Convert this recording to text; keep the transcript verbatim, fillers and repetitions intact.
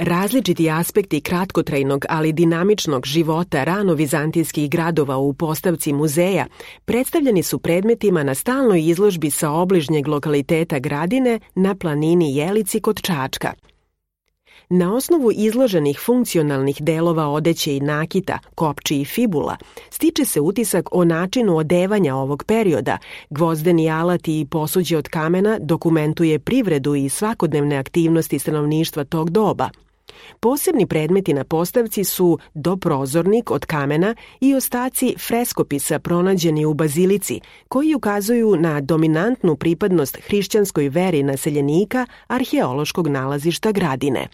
Različiti aspekti kratkotrajnog, ali dinamičnog života rano-vizantijskih gradova u postavci muzeja predstavljeni su predmetima na stalnoj izložbi sa obližnjeg lokaliteta Gradine na planini Jelici kod Čačka. Na osnovu izloženih funkcionalnih delova odeće i nakita, kopči i fibula, stiče se utisak o načinu odevanja ovog perioda. Gvozdeni alati i posuđe od kamena dokumentuje privredu i svakodnevne aktivnosti stanovništva tog doba. Posebni predmeti na postavci su doprozornik od kamena i ostaci freskopisa pronađeni u bazilici, koji ukazuju na dominantnu pripadnost hrišćanskoj veri naseljenika arheološkog nalazišta Gradine.